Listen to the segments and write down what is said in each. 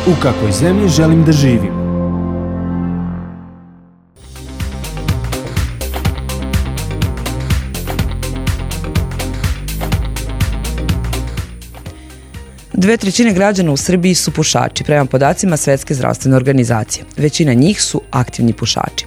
U kakvoj zemlji želim da živim? Dve trećine građana u Srbiji su pušači, prema podacima Svetske zdravstvene organizacije. Većina njih su aktivni pušači.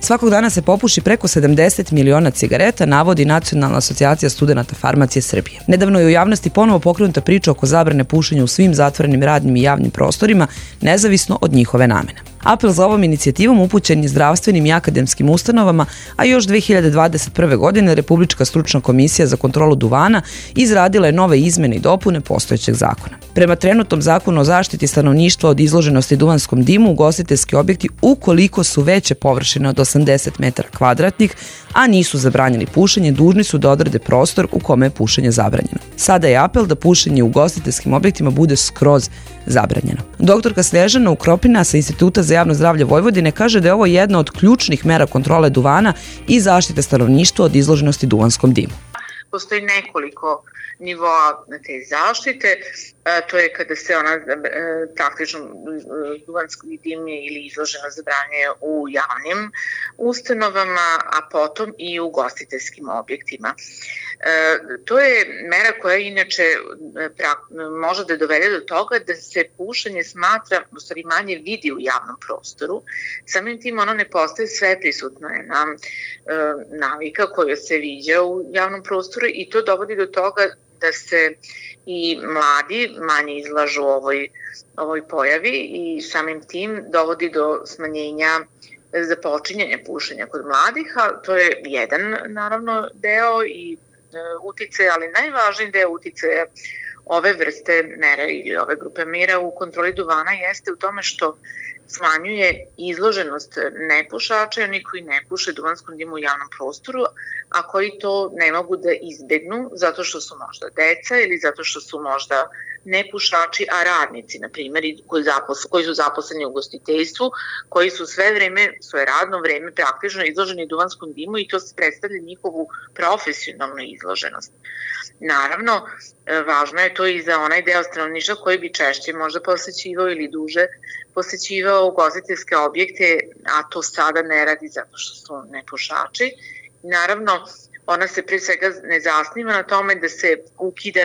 Svakog dana se popuši preko 70 miliona cigareta, navodi Nacionalna asocijacija studenata farmacije Srbije. Nedavno je u javnosti ponovo pokrenuta priča oko zabrane pušenja u svim zatvorenim radnim i javnim prostorima, nezavisno od njihove namene. Apel za ovom inicijativom upućen je zdravstvenim i akademskim ustanovama, a još 2021. godine Republička stručna komisija za kontrolu duvana izradila je nove izmene i dopune postojećeg zakona. Prema trenutnom zakonu o zaštiti stanovništva od izloženosti duvanskom dimu, ugostiteljski objekti, ukoliko su veće površine od 80 metara kvadratnih, a nisu zabranjeni pušenje, dužni su da odrede prostor u kome je pušenje zabranjeno. Sada je apel da pušenje u ugostiteljskim objektima bude skroz zabranjeno. Doktorka Snježana Ukropina sa Instituta za javno zdravlje Vojvodine kaže da je ovo jedna od ključnih mera kontrole duvana i zaštite stanovništva od izloženosti duvanskom dimu. Postoji nekoliko nivoa te zaštite, to je kada se ona praktično duvanski dim ili izloženo zabranjuje u javnim ustanovama, a potom i u ugostiteljskim objektima. To je mera koja inače može da dovede do toga da se pušenje smatra, u stvari manje vidi u javnom prostoru. Samim tim ono ne postaje sve prisutno je navika koja se viđa u javnom prostoru i to dovodi do toga da se i mladi manje izlažu ovoj pojavi i samim tim dovodi do smanjenja započinjanja pušenja kod mladih, a to je jedan naravno deo i uticaja, ali najvažniji deo uticaja ove vrste mera ili ove grupe mera u kontroli duvana jeste u tome što smanjuje izloženost nepušača i oni koji ne puše duvanskom dimu u javnom prostoru, a koji to ne mogu da izbegnu zato što su možda deca ili zato što su možda nepušači, a radnici, na primjer, koji su zaposleni u ugostiteljstvu, koji su sve vreme, svoje radno vreme praktično izloženi duvanskom dimu i to predstavlja njihovu profesionalnu izloženost. Naravno, važno je to i za onaj deo stanovništva koji bi češće možda posećivao ili duže posećivao ugostiteljske objekte, a to sada ne radi zato što su nepušači. Naravno, ona se pre svega ne zasniva na tome da se ukida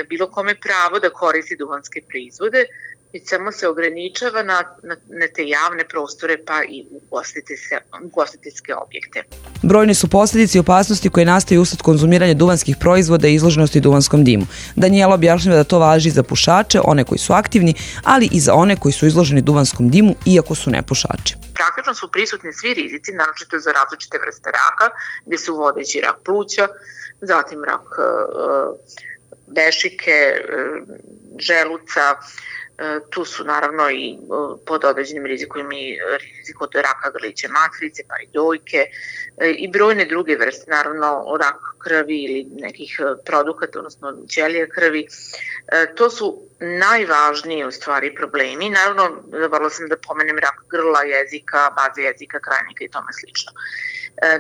bilo kome pravo da koristi duvanske proizvode, već samo se ograničava na te javne prostore pa i ugostiteljske objekte. Brojne su posljedice i opasnosti koje nastaju usled konzumiranja duvanskih proizvoda i izloženosti duvanskom dimu. Danijela objašnjava da to važi za pušače, one koji su aktivni, ali i za one koji su izloženi duvanskom dimu, iako su nepušači. Praktično su prisutni svi rizici, naročito za različite vrste raka, gde su vodeći rak pluća, zatim rak dešike, želuca, tu su naravno i pod određenim rizikom i rizik od raka grlića matrice, pa i dojke i brojne druge vrste, naravno rak krvi ili nekih produkata, odnosno ćelija krvi. To su najvažniji u stvari problemi. Naravno, zaboravila sam da pomenem rak grla, jezika, baze jezika, krajnika i tome slično.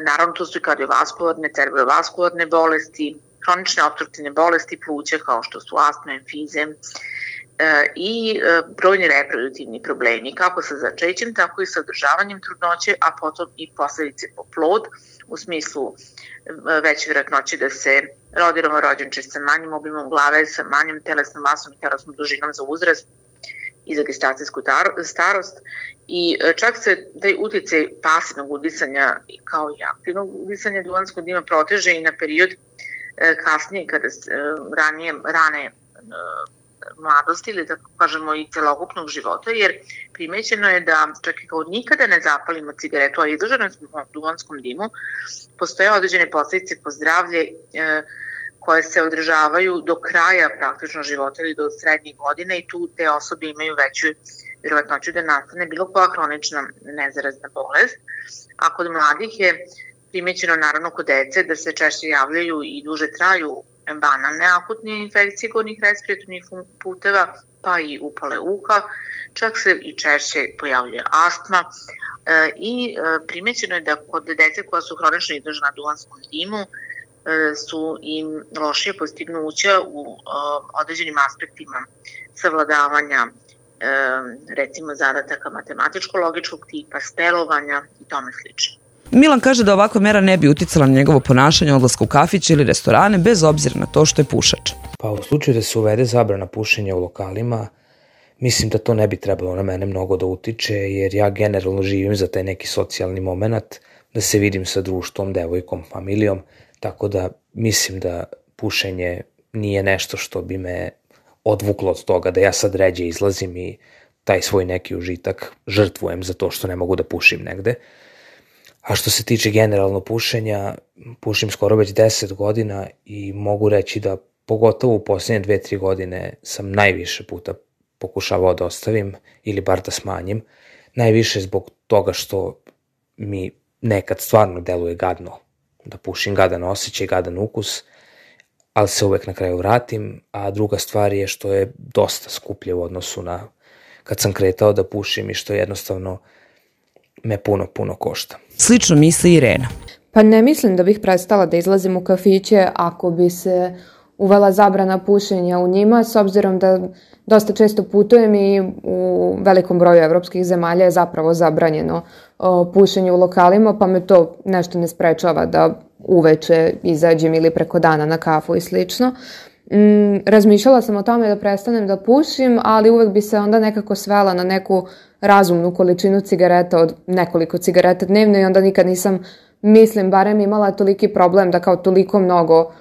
Naravno, tu su i kardiovaskularne, cerebrovaskularne bolesti, hronične opstruktivne bolesti pluća kao što su astma, emfizem, i brojni reproduktivni problemi, kako sa začećem, tako i sa održavanjem trudnoće, a potom i posledice po plod, u smislu veće vjerojatnoće da se rodi novorođenče sa manjim obimom glave, sa manjom telesnom masom i telesnom dužinom za uzrast i za gestacijsku starost. I čak se taj uticaj pasivnog udisanja kao i aktivnog udisanja duvanskog dima proteže i na period kasnije, kada rane mladosti ili da kažemo i celokupnog života, jer primećeno je da čak i kao nikada ne zapalimo cigaretu, a izloženo smo duvanskom dimu, postoje određene posledice po zdravlje koje se održavaju do kraja praktično života ili do srednjih godina i tu te osobe imaju veću vjerovatnoću da nastane bilo koja hronična nezarazna bolest. A kod mladih je Primećeno naravno kod dece da se češće javljaju i duže traju banalne akutne infekcije gornjih respiratornih puteva, pa i upale uha, čak se i češće pojavljuje astma i primećeno je da kod dece koja su hronično izložena duvanskom dimu su im lošije postignuća u određenim aspektima savladavanja recimo zadataka matematičko-logičkog tipa, spelovanja i tome slično. Milan kaže da ovakva mera ne bi uticala na njegovo ponašanje, odlaska u kafić ili restorane, bez obzira na to što je pušač. Pa u slučaju da se uvede zabrana pušenja u lokalima, mislim da to ne bi trebalo na mene mnogo da utiče, jer ja generalno živim za taj neki socijalni moment, da se vidim sa društvom, devojkom, familijom, tako da mislim da pušenje nije nešto što bi me odvuklo od toga da ja sad ređe izlazim i taj svoj neki užitak žrtvujem za to što ne mogu da pušim negde. A što se tiče generalno pušenja, pušim skoro već 10 godina i mogu reći da pogotovo u posljednje 2-3 godine sam najviše puta pokušavao da ostavim ili bar da smanjim. Najviše zbog toga što mi nekad stvarno deluje gadno da pušim, gadan osjećaj, gadan ukus, ali se uvek na kraju vratim, a druga stvar je što je dosta skuplje u odnosu na kad sam kretao da pušim i što jednostavno me puno košta. Slično misli Irena. Pa ne mislim da bih prestala da izlazim u kafiće ako bi se uvela zabrana pušenja u njima, s obzirom da dosta često putujem i u velikom broju evropskih zemalja je zapravo zabranjeno pušenje u lokalima, pa me to nešto ne sprečava da uveče izađem ili preko dana na kafu i slično. Razmišljala sam o tome da prestanem da pušim, ali uvek bi se onda nekako svela na neku razumnu količinu cigareta od nekoliko cigareta dnevno i onda nikad nisam, mislim, barem imala toliki problem da kao toliko mnogo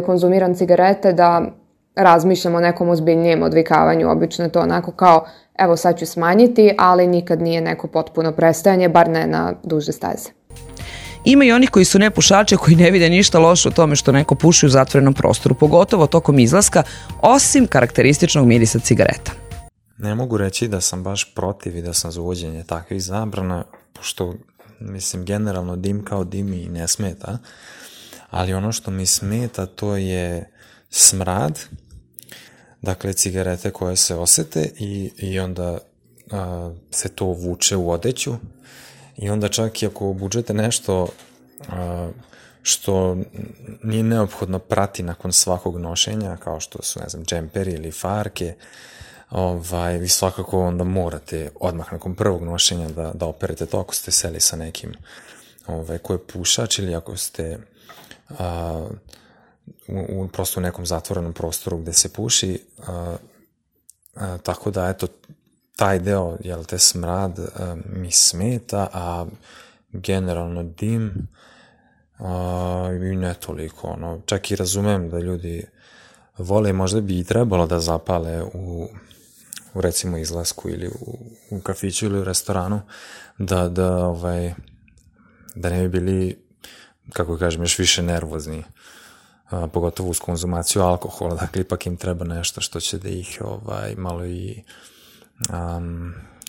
konzumiram cigarete da razmišljam o nekom ozbiljnijem odvikavanju. Obično je to onako kao, evo sad ću smanjiti, ali nikad nije neko potpuno prestajanje, bar ne na duže staze. Ima i onih koji su nepušače koji ne vide ništa loše u tome što neko puši u zatvorenom prostoru, pogotovo tokom izlaska, osim karakterističnog mirisa cigareta. Ne mogu reći da sam baš protiv i da sam za uvođenje takvih zabrana, pošto, mislim, generalno dim kao dim i ne smeta, ali ono što mi smeta to je smrad, dakle cigarete koje se osete i onda se to vuče u odeću i onda čak i ako obučete nešto što nije neophodno prati nakon svakog nošenja, kao što su, ne znam, džemperi ili farke, vi svakako onda morate odmah nakon prvog nošenja da operete to ako ste seli sa nekim ko je pušač ili ako ste prosto u nekom zatvorenom prostoru gde se puši, tako da eto taj deo, jel te, smrad mi smeta, a generalno dim i ne toliko, čak i razumem da ljudi vole, možda bi i trebalo da zapale u recimo izlasku ili u kafiću ili u restoranu, da ne bi bili, kako kažem, još više nervozni, pogotovo uz konzumaciju alkohola, dakle ipak im treba nešto što će da ih malo i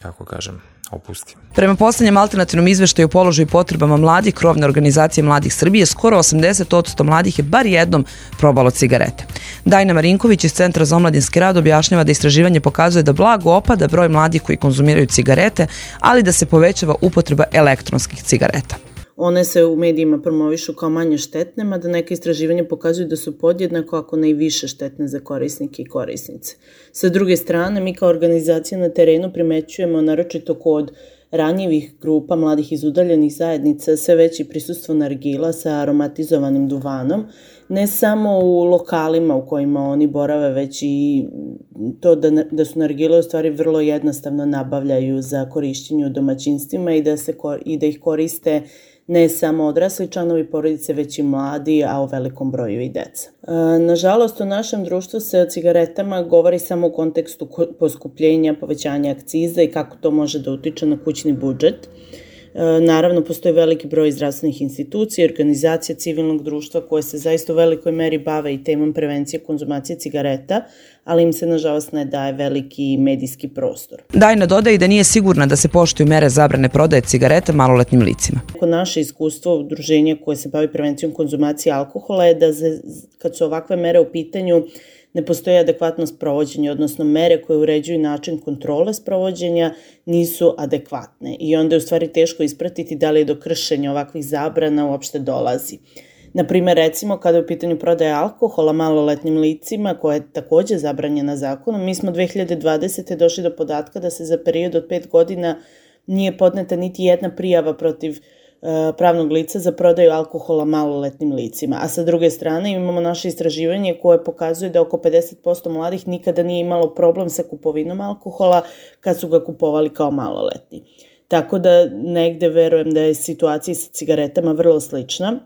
kako kažem, opusti. Prema poslednjem alternativnom izveštaju o položaju i potrebama mladih krovne organizacije Mladih Srbije, skoro 80% mladih je bar jednom probalo cigarete. Dajna Marinković iz Centra za omladinski rad objašnjava da istraživanje pokazuje da blago opada broj mladih koji konzumiraju cigarete, ali da se povećava upotreba elektronskih cigareta. One se u medijima promovišu kao manje štetne, mada neke istraživanja pokazuju da su podjednako, ako ne i više štetne za korisnike i korisnice. Sa druge strane, mi kao organizacija na terenu primećujemo, naročito kod ranjivih grupa mladih iz udaljenih zajednica, sve veće prisustvo nargila sa aromatizovanim duvanom, ne samo u lokalima u kojima oni borave, već i to da su nargile u stvari vrlo jednostavno nabavljaju za korišćenje u domaćinstvima i da ih koriste ne samo odrasli članovi porodice, već i mladi, a u velikom broju i deca. Nažalost, u našem društvu se o cigaretama govori samo u kontekstu poskupljenja, povećanja akciza i kako to može da utiče na kućni budžet. Naravno, postoji veliki broj zdravstvenih institucija i organizacija civilnog društva koje se zaista u velikoj meri bave i temom prevencije konzumacije cigareta, ali im se nažalost ne daje veliki medijski prostor. Dajna dodaje da nije sigurna da se poštuju mere zabrane prodaje cigareta maloletnim licima. Naše iskustvo udruženja koje se bavi prevencijom konzumacije alkohola je da kad su ovakve mere u pitanju ne postoji adekvatno sprovođenje, odnosno mere koje uređuju način kontrole sprovođenja nisu adekvatne i onda je u stvari teško ispratiti da li je do kršenja ovakvih zabrana uopšte dolazi. Naprimer, recimo, kada je u pitanju prodaja alkohola maloletnim licima, koja je takođe zabranjena zakonom, mi smo 2020. došli do podatka da se za period od 5 godina nije podneta niti jedna prijava protiv pravnog lica za prodaju alkohola maloletnim licima. A sa druge strane imamo naše istraživanje koje pokazuje da oko 50% mladih nikada nije imalo problem sa kupovinom alkohola kad su ga kupovali kao maloletni. Tako da negde verujem da je situacija sa cigaretama vrlo slična,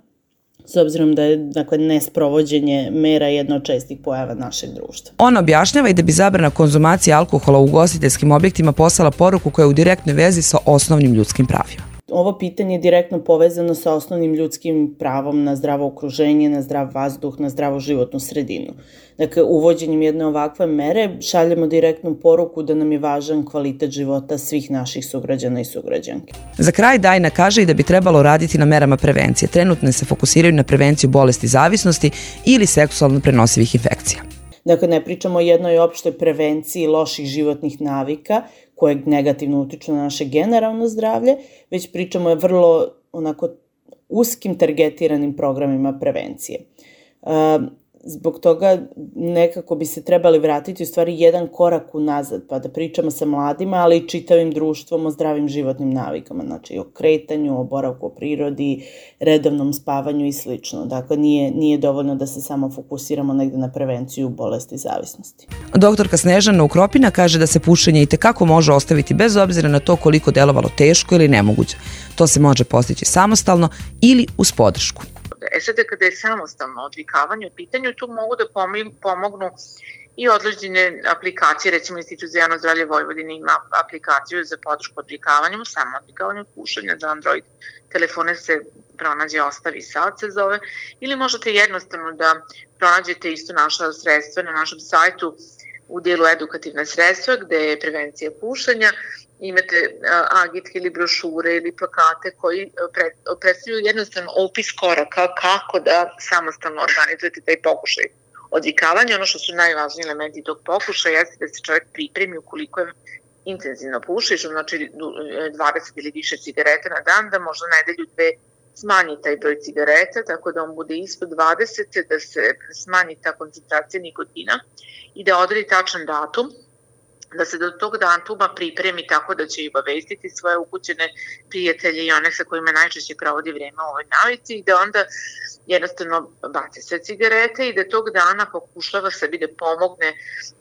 s obzirom da je nesprovođenje mera jedna od čestih pojava našeg društva. On objašnjava i da bi zabrana konzumacije alkohola u ugostiteljskim objektima poslala poruku koja je u direktnoj vezi sa osnovnim ljudskim pravima. Ovo pitanje je direktno povezano sa osnovnim ljudskim pravom na zdravo okruženje, na zdrav vazduh, na zdravu životnu sredinu. Dakle, uvođenjem jedne ovakve mere šaljemo direktnu poruku da nam je važan kvalitet života svih naših sugrađana i sugrađanki. Za kraj Dajna kaže i da bi trebalo raditi na merama prevencije. Trenutno se fokusiraju na prevenciju bolesti zavisnosti ili seksualno prenosivih infekcija. Dakle, ne pričamo o jednoj opštoj prevenciji loših životnih navika koje negativno utiču na naše generalno zdravlje, već pričamo o vrlo uskim targetiranim programima prevencije. Zbog toga nekako bi se trebali vratiti u stvari jedan korak unazad, pa da pričamo sa mladima, ali i čitavim društvom o zdravim životnim navikama, znači o kretanju, o boravku u prirodi, redovnom spavanju i slično. Dakle, nije dovoljno da se samo fokusiramo negde na prevenciju bolesti zavisnosti. Doktorka Snežana Ukropina kaže da se pušenje itekako može ostaviti bez obzira na to koliko delovalo teško ili nemoguće. To se može postići samostalno ili uz podršku. Sada kada je samostalno odvikavanje u pitanju, tu mogu da pomognu i određene aplikacije, recimo Institut za javno zdravlje Vojvodine ima aplikaciju za podršku odvikavanju, samo odvikavanju pušenja za Android telefone se pronađe Ostavi sad se zove, ili možete jednostavno da pronađete isto naša sredstva na našem sajtu u dijelu edukativne sredstva gde je prevencija pušenja. Imate agitke ili brošure ili plakate koji predstavljaju jednostavno opis koraka kako da samostalno organizujete taj pokušaj odvikavanja. Ono što su najvažniji elementi tog pokušaja jeste da se čovjek pripremi ukoliko je intenzivno pušiš, znači 20 ili više cigareta na dan, da možda nedelju dve smanji taj broj cigareta, tako da on bude ispod 20, da se smanji ta koncentracija nikotina i da odredi tačan datum, da se do tog datuma pripremi tako da će i obavestiti svoje ukućene prijatelje i one sa kojima najčešće provodi vreme u ovoj navici i da onda jednostavno baci sve cigarete i da tog dana pokušava sebi da pomogne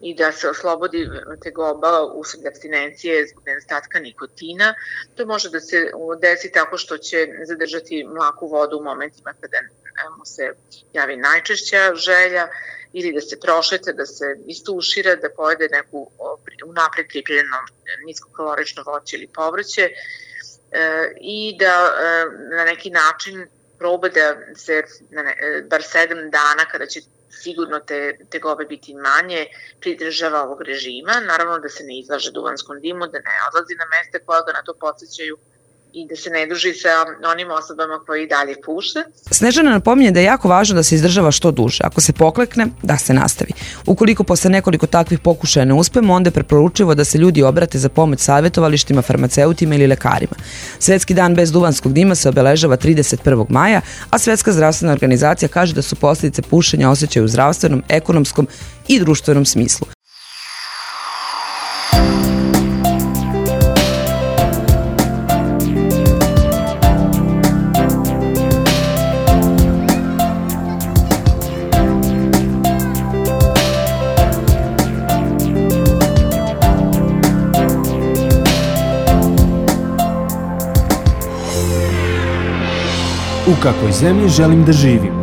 i da se oslobodi tegoba usled apstinencije zbog nedostatka nikotina. To može da se desi tako što će zadržati mlaku vodu u momentima kada mu se javi najčešća želja, ili da se prošeta, da se istušira, da pojede neku unapred pripremljeno niskokalorično voće ili povrće i da na neki način proba da se bar 7 dana kada će sigurno te tegobe biti manje pridržava ovog režima. Naravno da se ne izlaže duvanskom dimu, da ne odlazi na mesta koja ga na to podsjećaju i da se ne druži sa onim osobama koji dalje puše. Snežana napominje da je jako važno da se izdržava što duže. Ako se poklekne, da se nastavi. Ukoliko posle nekoliko takvih pokušaja ne uspemo, onda je preporučivo da se ljudi obrate za pomoć savjetovalištima, farmaceutima ili lekarima. Svetski dan bez duvanskog dima se obeležava 31. maja, a Svetska zdravstvena organizacija kaže da su posljedice pušenja osjećaju u zdravstvenom, ekonomskom i društvenom smislu. U kakvoj zemlji želim da živim?